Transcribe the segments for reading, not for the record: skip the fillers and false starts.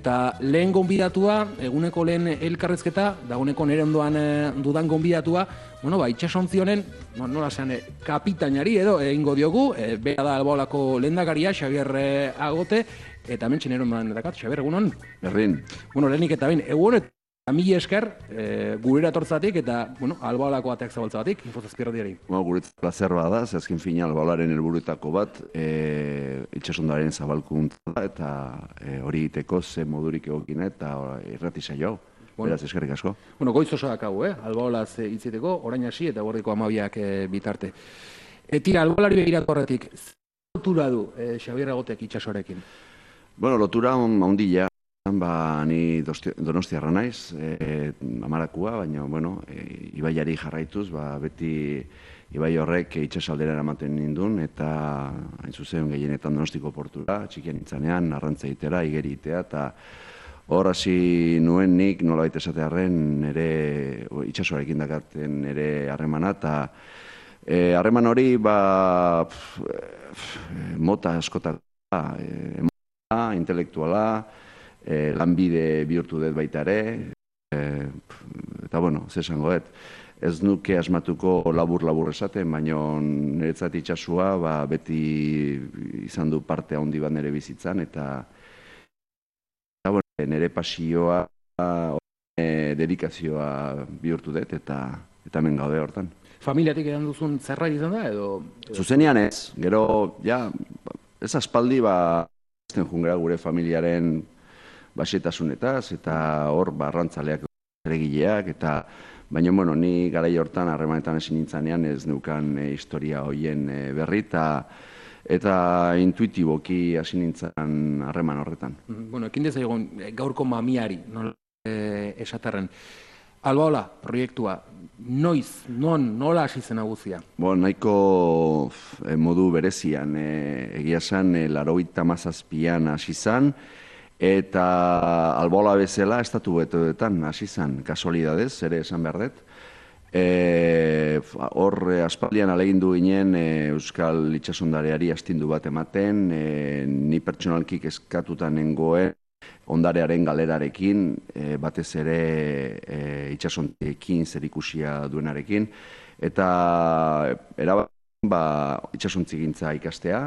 Eta lehen gonbidatua, eguneko lehen elkarrezketa, dagoeneko nire ondoan dudan gonbidatua, itxasontzi honen, nola zean, kapitainari edo egingo diogu, bera da Albaolako lehendakaria, Xabier Agote, eta hemen txenero ondoan dakat, Xabier, egunon? Berdin. Lehenik eta bain, egun eta mila esker, gurera tortzatik eta, Albaolako ateak zabaltzatik, Infozazpirradiari. Guretzat plazer bada, azken fina Albaolaren helburuetako bat, itxasondaren zabalkuntza eta hori egiteko ze modurik egokina eta irrati saio hau. Beraz, eskerrik asko. Goiz oso dakagu, Albaolaz hitziteko, orain hasi eta gordiko 12ak bitarte. Tira, Albaolari begiratu horretik, zer lotura du Xabier Agotek itxasoarekin? Lotura ondila. Ni donostiarra naiz, amarakua, baina, ibaiari jarraituz, beti ibai horrek itxasaldera eramaten nindun, eta hain zuzen gehienetan Donostiko portura, txikian nintzanean, arrantza egitera, igeri egitea, eta hor hasi nuen nik nolabait esatearren itxasoarekin dakaten ere harremana, eta harreman hori mota askotako, intelektuala, lanbide bihurtu dut baita ere, eta ze esangoet, ez nuke asmatuko labur esaten, baina niretzat itxasua beti izan du parte handi bat nire bizitzan, eta nire pasioa, dedikazioa bihurtu dut, eta hemen gaude hortan. Familiatik edan duzun zerbait izan da, edo? Zuzenean ez, gero, ez aspaldi ezten jungera gure familiaren basetasunetaz, eta hor arrantzaleak eregileak, baina, ni garai hortan harremanetan ezin nintzanean ez neukan historia hoien berri, eta intuitiboki hasi nintzen harreman horretan. Ekin dezagun gaurko mamiari, esaterren. Albaola, proiektua, noiz, nola hasi zen aguzia? Nahiko modu berezian, egia zen, 97an hasi zen, eta Albaola bezala estatu betoetan hasi zen, kasualidadez, ere esan behar dut. Hor, aspaldian alegindu ginen Euskal Itsasondareari astindu bat ematen, ni pertsonalki eskatuta nengoen ondarearen galerarekin, batez ere itsasontiekin zerikusia duenarekin, eta itsasontziegintza ikastea.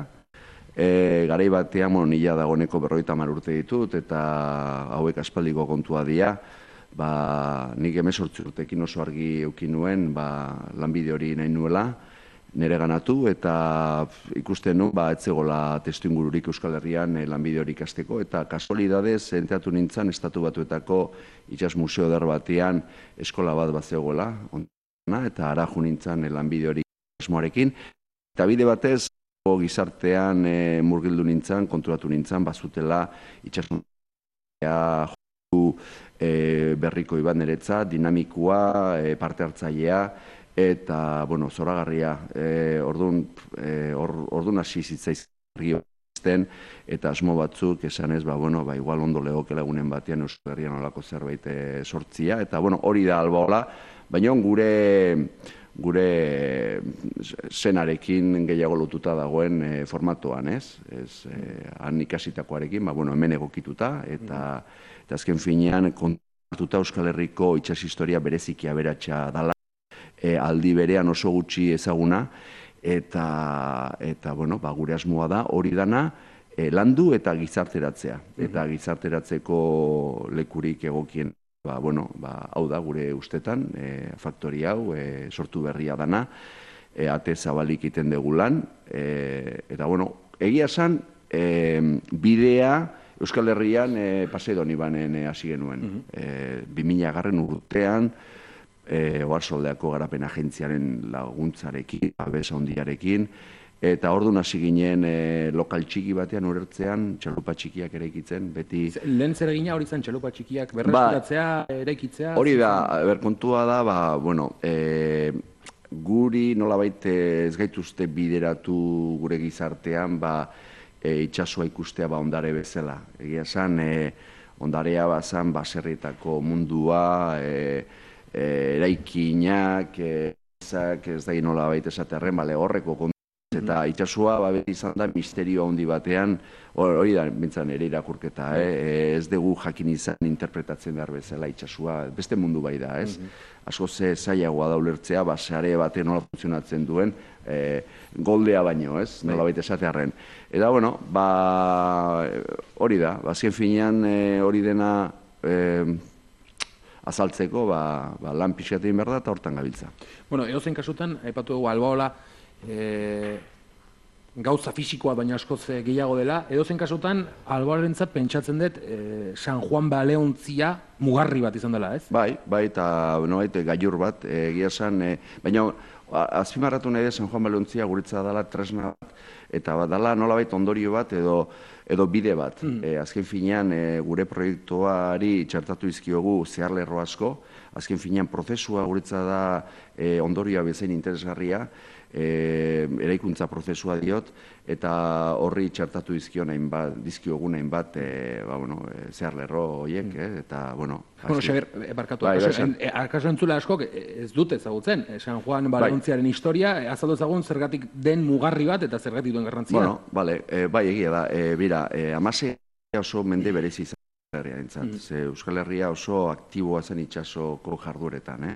Garai batean, nila dagoeneko 50 urte ditut, eta hauek aspaldiko kontua dira. Nik 18 urtekin oso argi eukin nuen, lanbide hori nahi nuela, nire ganatu, eta ikusten nu, etzegola testu ingururik Euskal Herrian lanbide hori ikasteko, eta kasualidadez, enteatu nintzen, Estatu Batuetako itsas museo eder batean eskola bat zegoela, eta ara jo nintzen lanbide hori asmoarekin, eta bide batez, gizartean murgildu nintzen, konturatu nintzen, bazutela itxasontzia berriko iban niretza, dinamikoa, parte hartzailea, eta, zoragarria, orduan hasi zitzaizkien eta asmo batzuk esanez, igual ondo legokela egunen batean Euskal Herrian olako zerbait sortzia, eta hori da Albaola, baina gure zenarekin gehiago lotuta dagoen formatoan, ez? Han ikasitakoarekin, hemen egokituta, eta azken finean kontartuta Euskal Herriko itsas historia bereziki aberatsa dala, aldi berean oso gutxi ezaguna, eta gure asmoa da hori dana landu eta gizarteratzea. Eta gizarteratzeko lekurik egokien, hau da gure ustetan, faktori hau, sortu berria dana, ate zabalik iten degulan, eta egia esan, bidea Euskal Herrian Paseidon ibanen hasi genuen. 2000 urtean, Oarsoldeako garapen agentziaren laguntzarekin, babesa handiarekin, eta orduan hasi ginen lokal txiki batean urertzean, txalupa txikiak eraikitzen, beti... Lehen zer egina hori zen txalupa txikiak berreskuratzea, eraikitzea? Hori da, kontua da, guri nolabait ez gaituzte bideratu gure gizartean, itxasua ikustea ondare bezala. Egia esan, ondarea bazan baserrietako mundua, eraikinak, ez da nola baita esaterren, horreko Eta itxasua beti izan da misterio handi batean, hori da bintzan ere irakurketa, ez dugu jakin izan interpretatzen behar bezala itxasua, beste mundu bai da, ez? Asko ze zailagoa da ulertzea, sare batean nola funtzionatzen duen, goldea baino, ez? Nola baita esatearren. Eta, bueno, hori da, azken finean hori dena azaltzeko, lan pixkatein behar da eta hortan gabiltza. Bueno, edozein kasutan, aipatu dugu Albaola, gauza fisikoa baina askoz gehiago dela, edozein kasutan Albaolarentzat pentsatzen dut San Juan Baleontzia mugarri bat izan dela, ez? Bai, eta gailur bat, egia esan, baina azpimarratu nahi da San Juan Baleontzia guretza dela tresna bat, eta dela nolabait ondorio bat edo bide bat. Azken finean gure proiektuari txertatu izkiogu zeharlerro asko, azken finean prozesua guretza da ondorioa bezain interesgarria, eraikuntza prozesua diot, eta horri txertatu dizkiogun hainbat zeharlerro horiek, eta, bueno... Bueno, Xabier, barkatu, akaso entzule askok ez dut ezagutzen, San Juan Baleontziaren historia, azaldu ezagun zergatik den mugarri bat eta zergatik duen garrantzia. Bueno, bai, egia da, bira, Amasea oso mende berezi izan Euskal Herria oso aktiboa zen itsasoko jarduretan,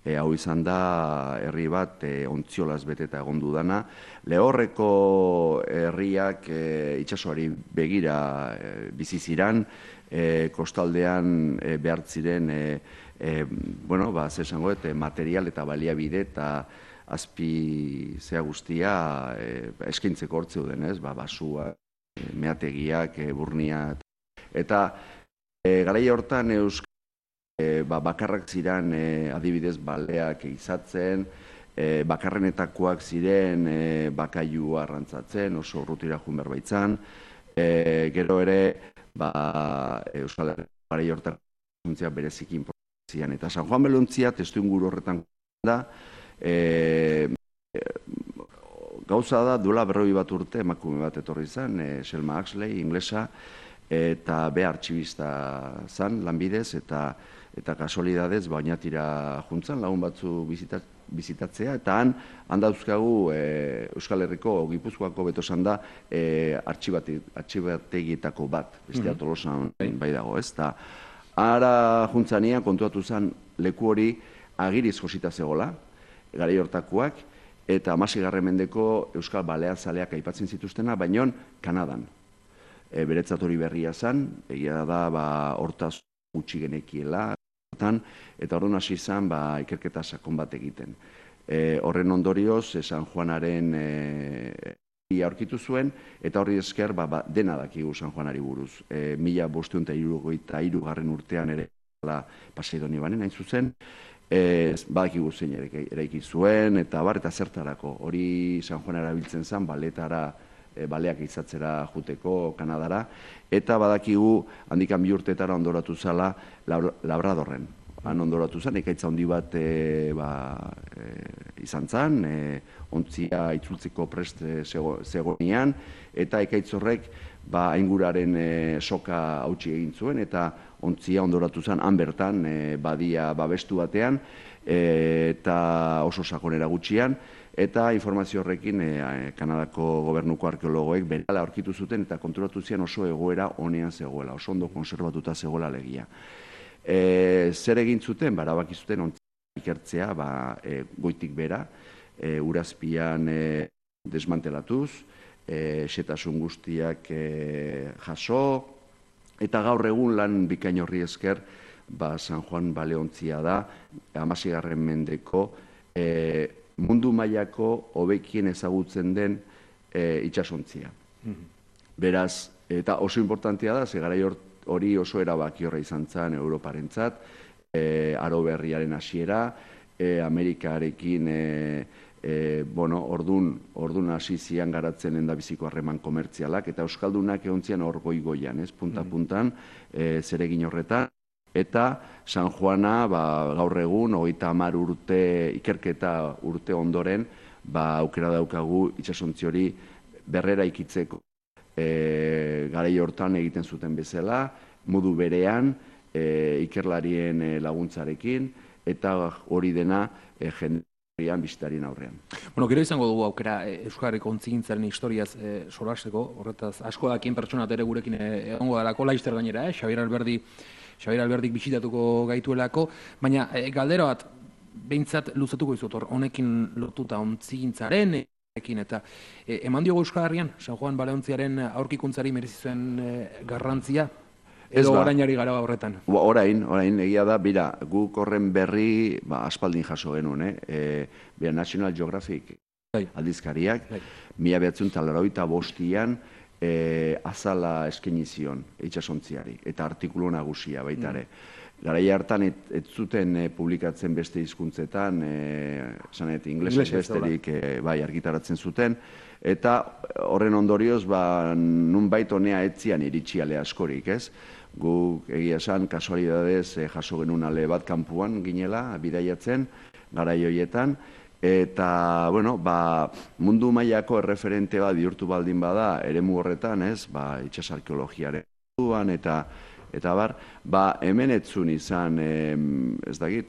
hau izan da herri bat ontziolaz beteta egon dudana. Lehorreko herriak itsasoari begira bizi ziran, kostaldean behartziren material eta baliabide eta azpi zea guztia eskaintzeko hortze duden, basua, meategiak, burnia. Eta garaia hortan bakarrak ziren adibidez baleak izatzen, bakarrenetakoak ziren bakailua arrantzatzen, oso urrutira joan behar baitzan. Gero ere, Euskal Herria garaia hortan funtzia bereziki inportzian. Eta San Juan Baleontzia testu inguru horretan da, gauza da duela 40 bat urte emakume bat etorri zen, Selma Huxley, inglesa, eta be artxibista zan lanbidez, eta kasualidadez bainatira juntzan lagun batzu bizitatzea, eta han dauzkagu Euskal Herriko, Gipuzkoako beto zan da, artxibategietako bat, bestea Tolosan bai dago, ez? Eta ara juntzanian kontuatu zen leku hori agiriz josita zegoela, garai hortakoak, eta 16. mendeko Euskal Baleazaleak aipatzen zituztena, baina Kanadan. Beretzat hori berria zen, egia da hortaz gutxi genekiela, eta orduan hasi zen ikerketa sakon bat egiten. Horren ondorioz, San Juanaren aurkitu zuen, eta horri esker dena dakigu San Juanari buruz. 1573 urtean ere Paseidoni banen hain zuzen, badakigu zein eraiki zuen, eta zertarako. Hori San Juan erabiltzen zen, baleak izatzera juteko Kanadara, eta badakigu handikan 2 urtetara ondoratu zala Labradorren. Han ondoratu zen, ekaitza handi bat izan zen, ontzia itzultzeko prest zegoenean, eta ekaitz horrek ainguraren soka hautsi egin zuen, eta ontzia ondoratu zen, han bertan badia babestu batean, eta oso sakonera gutxian, eta informazio horrekin Kanadako gobernuko arkeologoek berehala aurkitu zuten eta konturatu zian oso egoera honean zegoela, oso ondo konserbatuta zegoela legia. Zer egin zuten? Erabaki zuten ontzia ikertzea goitik bera, urazpian desmantelatuz, xetasun guztiak jaso, eta gaur egun lan bikain horri esker San Juan Baleontzia da, 16. mendeko mundu mailako hobekien ezagutzen den itsasontzia. Beraz, eta oso importantea da, ze garai hori oso erabaki horra izan zen Europarentzat, aro berriaren hasiera, Amerikarekin ordun hasi zian garatzen endabiziko harreman komertzialak, eta euskaldunak egontzian hor goigoian, punta-puntan, zeregin horretan. Eta San Juana gaur egun, 30 urte, ikerketa urte ondoren, aukera daukagu itsasontzi hori berrera ikitzeko. Garai hortan egiten zuten bezala, modu berean, ikerlarien laguntzarekin, eta hori dena bizitarien aurrean. Bueno, gero izango dugu aukera Euskal Herriko ontzigintzaren historiaz solasteko, horretaz asko dakien pertsonat ere gurekin egongo dalako, laizter gainera, Xabier Alberdik bisitatuko gaituelako, baina galdera bat, behintzat luzatuko izut, honekin lotuta ontzigintzaren, eta eman diogu Euskal Herrian, San Juan Baleontziaren aurkikuntzari merezi zuen garrantzia, edo orainari gara horretan? Orain, egia da, bira, guk horren berri aspaldin jaso genuen, bera National Geographic aldizkariak, 1985an azala eskaini zion itsasontziari, eta artikulu nagusia baita ere. Garai hartan ez zuten publikatzen beste hizkuntzetan, esanet ingelesez besterik argitaratzen zuten, eta horren ondorioz nunbait honea etzian iritsi ale askorik, ez? Guk egia esan kasualidadez jaso genuen ale bat kanpuan ginela, bidaiatzen, garai horietan, eta, bueno, mundu mailako erreferente bat bihurtu baldin bada, eremu horretan, ez, itsas arkeologiaren duan, eta hemen etzun izan, ez dakit,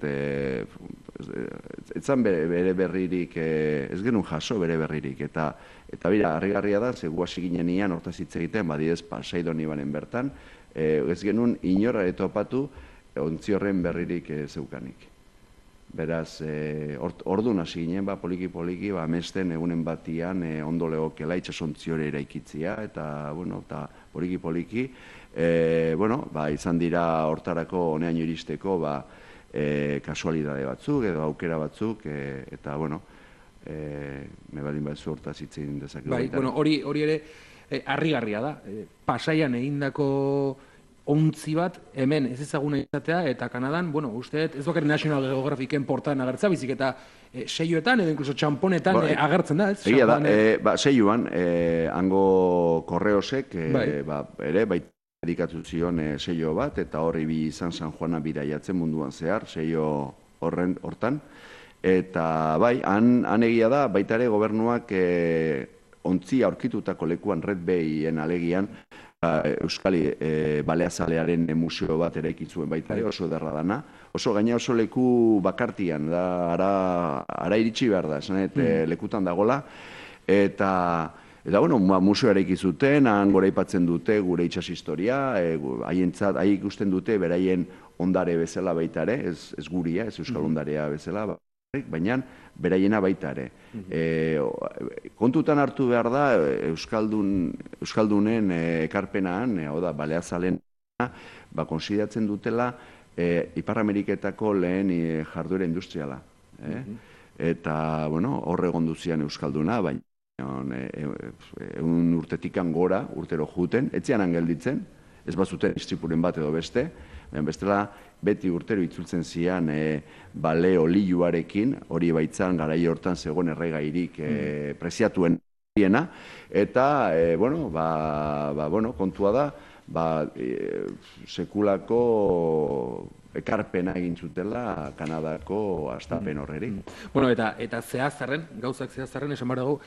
etzan bere berririk, ez genuen jaso bere berririk, eta bira, harrigarria da, ze guasi ginen ian, hortaz hitz egiten, badidez, Pasaidon ibanen bertan, ez genuen inora etopatu ontzi horren berririk zeukanik. Beraz, orduan hasi ginen, poliki-poliki, amesten egunen batian ondo legokela itsasontzi hori eraikitzia, eta, bueno, poliki-poliki, izan dira hortarako honean iristeko, kasualidade batzuk, edo aukera batzuk, eta, bueno, me baldin batzu hortaz hitzen dezakegu. Bai, bueno, hori ere harrigarria da. Pasaian egindako ontzi bat, hemen ez ezaguna izatea, eta Kanadan, bueno, uste, ez bakar National Geographicen portaan agertza, bizik eta seioetan, edo inkluso txamponetan agertzen da, ez? Egia da, seioan, hango korreosek, ere, dedikatu zion seio bat, eta horri bi izan San Juana bidaiatzen munduan zehar, seio hortan, eta han egia da, baita ere gobernuak ontzi aurkitutako lekuan Red Bayen alegian, Euskali Baleazalearen museo bat eraikitzuen baita ere, oso derra dana. Oso gaina oso leku bakartian, ara iritsi behar da, esanet lekutan dagola. Eta, bueno, museo eraikizuten, han gora ipatzen dute gure itsas historia, haientzat, hai ikusten dute beraien ondare bezala baita ere, ez guria, ez Euskal ondarea bezala, baina beraiena baita ere. Kontutan hartu behar da, Euskaldunen ekarpenaan, Baleazalen, konsideratzen dutela Ipar Ameriketako lehen jarduera industriala. Eta, bueno, horre gonduzian Euskalduna, baina egun urtetikan gora, urtero juten, etzian gelditzen, ez bazuten istripuren bat edo beste, bestela beti urtero itzultzen zian bale oliuarekin, hori baitzan garai hortan zegoen erregairik preziatuen diena, eta, bueno, kontua da, sekulako ekarpena egin zutela Kanadako hastapen horreri. Bueno, eta zehazarren, gauzak zehazarren, esan behar dugu,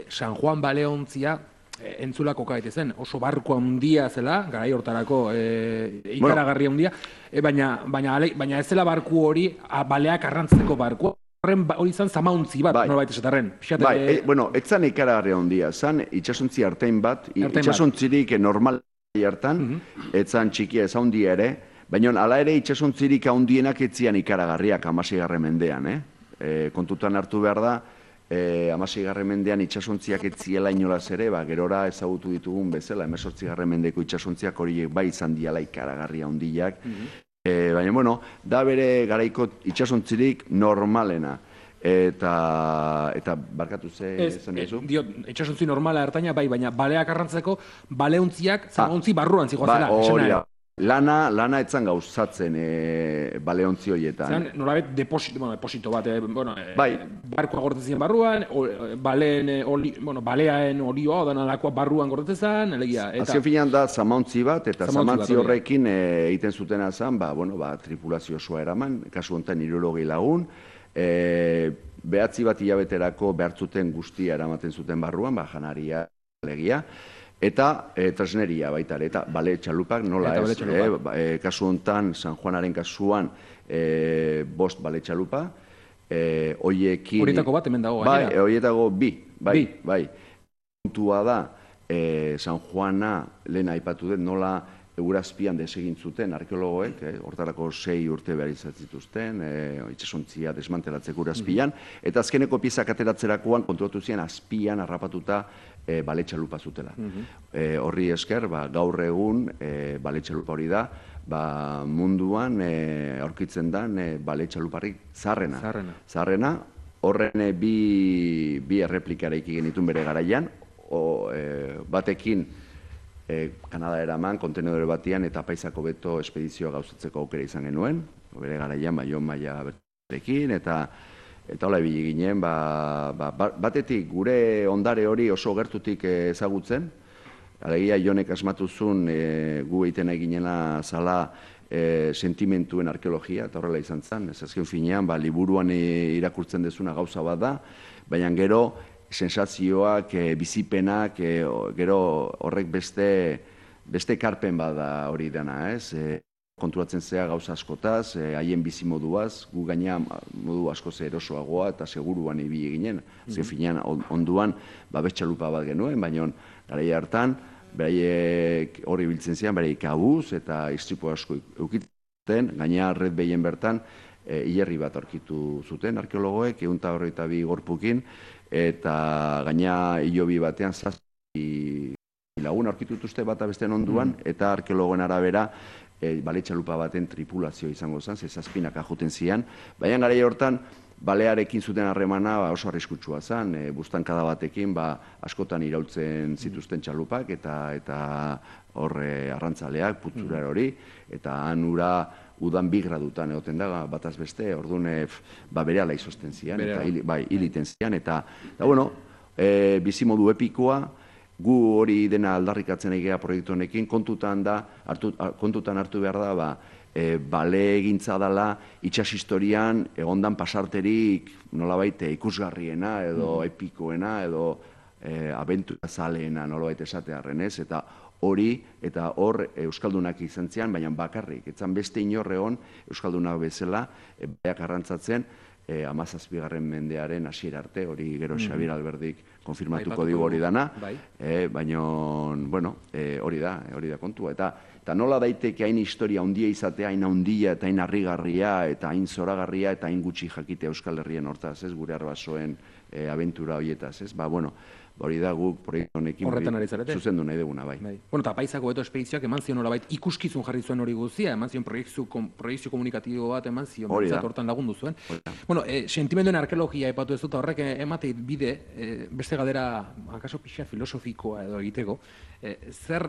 San Juan Baleontzia entzulako kaitezen, oso barko handia zela, garai hortarako ikaragarri handia, baina ez zela barku hori, baleak arrantzeko barku, hori izan zamauntzi bat, norbait esatarren. Bueno, ez zan ikaragarri handia, zan itsasontzi artein bat, itsasontzirik normal hartan, ez zan txikia ez handia ere, baina ala ere itsasontzirik handienak etzian ikaragarriak 16. mendean, kontutan hartu behar da, 16. mendean itsasontziak etziela inolaz ere, gerora ezagutu ditugun bezala, 18. mendeko itsasontziak horiek bai izan diala ikaragarria handiak, baina, bueno, da bere garaiko itsasontzirik normalena. Eta barkatu zen duzu? Itsasontzi normala ertaina, bai, baina baleak arrantzeko, baleontziak, zamauntzi barruan zigoazela. Lana etzan gauzatzen baleontzi horietan. Zan, norabet deposito bat, barkoa gortetzen barruan, baleaen olioa, odan alakoa barruan gortetzen, elegia. Azken finean da zamauntzi bat, eta zamauntzi horrekin egiten zutena zen, tripulazio osoa eraman, kasu honetan 60 lagun, behatzi bat hilabeterako behartzuten guztia eramaten zuten barruan, janaria, elegia, eta tresneria baita ere, eta bale txalupak nola ez, kasu honetan, San Juanaren kasuan, 5 bale txalupa, hoiekin... Horietako bat hemen dago, bai, horietako bai. Puntua da, San Juana lehen aipatu dut, nola Eurazpian desegin zuten arkeologoek, hortarako 6 urte behar izatituzten, itsasontzia desmantelatzeko Eurazpian, eta azkeneko piezak ateratzerakoan konturatu ziren azpian harrapatuta baletxalupa zutela. Horri esker, gaur egun baletxalupa hori da, munduan aurkitzen den baletxaluparrik zaharrena. Horren bi erreplikareik genituen bere garaian, batekin Kanada eraman, kontenedore batian eta Paisako Beto espedizioa gauzatzeko aukera izan genuen, bere garaian Jon Maia bertarekin, eta hola ibili ginen, batetik gure ondare hori oso gertutik ezagutzen, alegia Jonek asmatu zuen gu egiten eginela zala sentimentuen arkeologia, eta horrela izan zen, ez azken finean, liburuan irakurtzen dezuna gauza bat da, baina gero sensazioak, bizipenak, gero horrek beste ekarpen bada hori dena, ez? Konturatzen zea gauza askotaz, haien bizimoduaz, gu gaina modu askoz erosoagoa eta seguruan ibili ginen. Azken finean, onduan, betxalupa bat genuen, baina garai hartan, beraiek hori biltzen zian, beraiek abuz eta istripu asko eukitzen, gaina Red Bayen bertan, hilerri bat aurkitu zuten arkeologoek, 122 gorpukin, eta gaina hilobi batean zazpi lagun aurkitutuzte bata besteen onduan, eta arkeologoen arabera baletxalupa baten tripulazio izango zen, zazpinak ajuten zian, baina garai hortan balearekin zuten harremana oso arriskutsua zen, buztankada batekin askotan iraultzen zituzten txalupak eta horre arrantzaleak, putzurar hori, eta han ura udan 2 gradutan egoten da, bataz beste, orduan berehala izozten zian, eta hiliten zian, eta bueno, bizimodu epikoa, gu hori dena aldarrikatzen egea proiektu honekin, kontutan hartu behar da, bale egintza dela itsas historian egondan pasarterik nolabait ikusgarriena edo epikoena edo abentura zaleena nolabait esatearren ez, eta hor Euskaldunak izan zian, baina bakarrik, etzan beste inorreon Euskaldunak bezala, baiak arrantzatzen, 17. mendearen hasiera arte, hori gero Xabier Alberdik konfirmatuko digu hori dana, baina, bueno, hori da kontua, eta nola daiteke hain historia handia izatea, hain handia eta hain harrigarria, eta hain zoragarria, eta hain gutxi jakite Euskal Herrien hortaz, ez, gure arbasoen abentura horietaz, ez, bueno, hori da guk proiektu honekin zuzendu nahi duguna, bai. Bueno, eta Paisako Beto espedizioak eman zion horabait ikuskizun jarri zuen hori guztia, eman zion proiekzio komunikatibo bat eman zion, hortan lagundu zuen. Bueno, sentimenduen arkeologia epatu ez dut, horrek emate bide, beste galdera, akaso pixa filosofikoa edo egiteko, zer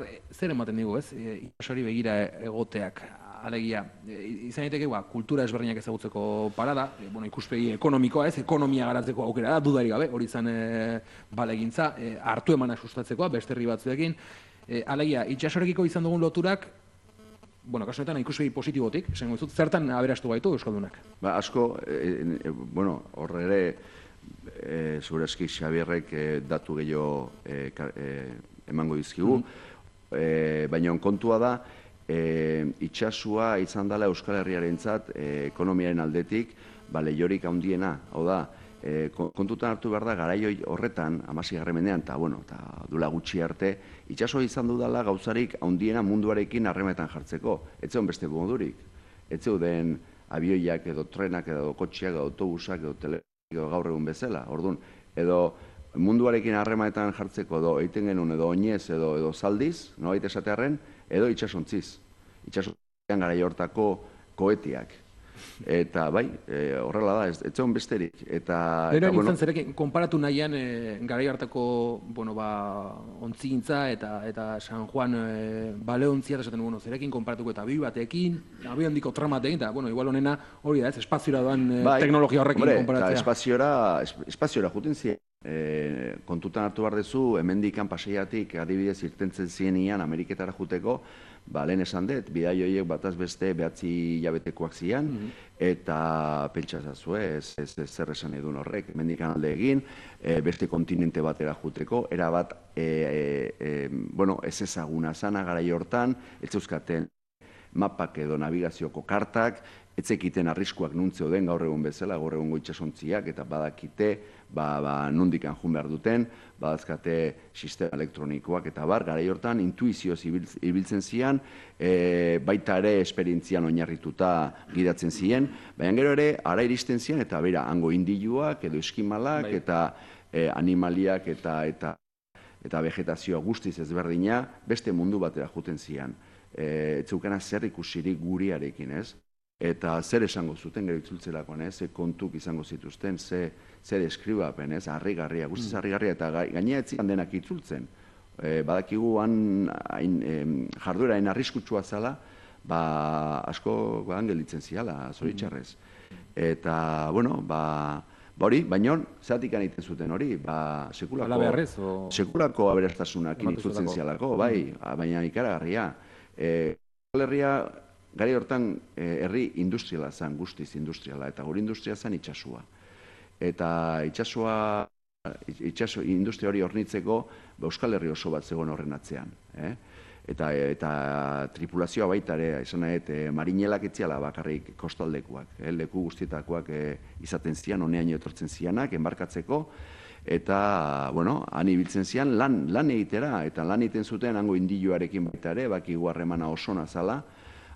ematen digu, ez? Itxasori begira egoteak, alegia, izan daiteke kultura ezberdinak ezagutzeko parada, ikuspegi ekonomikoa ez, ekonomia garatzeko aukera da, dudarik gabe, hori izan balegintza, hartu emana sustatzekoa, beste herri batzuekin, alegia, itxasorekiko izan dugun loturak, kasu honetan ikuspegi positibotik, esango dizut, zertan aberastu gaitu Euskaldunak? Asko, horre ere, zure eski Xabierrek datu gehiago emango dizkigu, baina kontua da, itxasua izan dela Euskal Herriarentzat ekonomiaren aldetik lehiorik handiena, hau da, kontutan hartu behar da garai horretan, 16. mendean, eta duela gutxi arte, itxasua izan dudala gauzarik handiena munduarekin harremetan jartzeko, ez zeuden beste modurik, ez zeuden abioiak edo trenak edo kotxeak edo autobusak edo telefonik edo gaur egun bezala, orduan, edo munduarekin harremanetan jartzeko edo egiten genuen edo oinez edo zaldiz, nolabait esatearren, edo itxasontziz. Itxasontzian garai hortako koetiak. Eta bai, horrela da, ez zegoen besterik. Bero nintzen zerekin, konparatu nahian garai hartako ontzigintza eta San Juan baleontzia esaten dugu, zerekin konparatuko eta abioi batekin, abioi handiko tramatekin, eta igual honena hori da, espaziora doan teknologia horrekin konparatzea. Espaziora juten ziren. Kontutan hartu behar dezu, hemendikan paseiatik adibidez irtentzen zienian Ameriketara juteko, lehen esan dut, bidai horiek bataz beste 9 hilabetekoak zian, eta pentsazazue, ez zer esan edun horrek, hemendikan alde egin, beste kontinente batera juteko, erabat ez ezaguna zana garai hortan, ez euskaten mapak edo navigazioko kartak, etzekiten arriskuak nuntze den gaur egun bezala, gaur egungo itsasontziak, eta badakite nondikan jun behar duten, badazkate sistema elektronikoak eta garai hortan intuizioz ibiltzen zian, baita ere esperientzian oinarrituta gidatzen ziren, baina gero ere ara iristen zian, eta bera, hango indiluak edo eskimalak, eta animaliak eta vegetazioa guztiz ezberdina, beste mundu batera juten zian. Etzeukana zer ikusirik guriarekin, ez? Eta zer esango zuten gero itzultzelakoan, ze kontuk izango zituzten, zer eskribapen, harrigarria, guztiz harrigarria, eta gainea etzian denak itzultzen. Badakigu jardueraen arriskutsua zala, asko gelitzen ziala, zoritxarrez. Eta, bueno, hori, baina zeatik egiten zuten hori, sekulako aberastasunak itzultzen zialako, baina ikaragarria. Herria, gari hortan, herri industriala zen, guztiz industriala, eta gure industria zen itxasua. Eta itxasua, industria hori hornitzeko, Euskal Herri oso bat zegoen horren atzean. Eta tripulazioa baita ere, esan nahi, marinelak etziala bakarrik kostaldekuak, leku guztietakoak izaten zian, honean etortzen zianak, enbarkatzeko, eta, bueno, han ibiltzen zian lan egitera, eta lan egiten zuten hango indiluarekin baita ere, bakigu harremana oso nazala,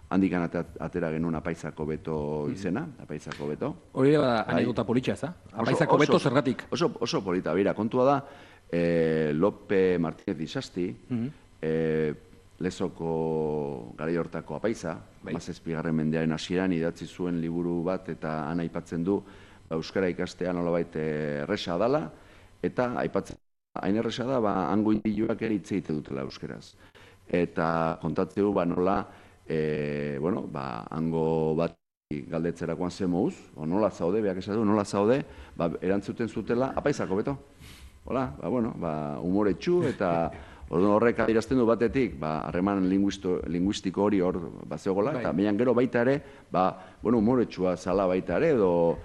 handikan atera genuen Apaizako Beto izena, Apaizako Beto. Hori da, anekdota politxa, ez da? Apaizako Beto zergatik? Oso polita, bera, kontua da, Lope Martínez Isasti, Lezoko garai hortako apaiza, 17. mendearen hasieran idatzi zuen liburu bat, eta han aipatzen du euskara ikastea nolabait erresa dala, eta aipatzen hain erresa da, hango indiluak ere hitz egite dutela euskaraz. Eta kontatzen du nola, hango bat galdetzerakoan ze mouz, nola zaude, beak esatu, nola zaude, erantzuten zutela, Apaizako Beto. Hola, humoretsu eta horrek adierazten du batetik, harreman linguistiko hori hor zegoela, eta baina gero baita ere, humoretsua zala baita ere, edo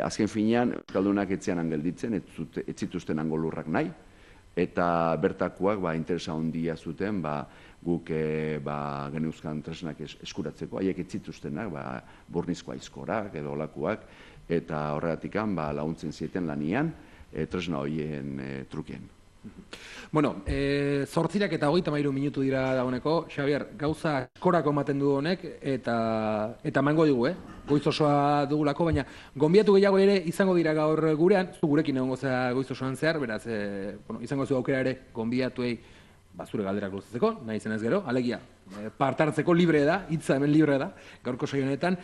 azken finean euskaldunak etzean gelditzen, ez zituzten hango lurrak nahi, eta bertakoak interesa handia zuten, guk geneuzkan tresnak eskuratzeko, haiek ez zituztenak, burnizko aizkorak edo olakoak, eta horregatik laguntzen zieten lanian, tresna horien trukien. Bueno, 8:33 minutu dira dagoeneko. Xabier, gauza askorako ematen du honek, eta mango digu, goiz osoa dugulako, baina gonbiatu gehiago ere izango dira gaur gurean, zu gurekin egongo zera goiz osoan zehar, beraz, izango zu aukera ere gonbiatuei zure galderak luzatzeko, nahi zenez gero, alegia, partartzeko libre da, hitza hemen libre da, gaurko saio honetan.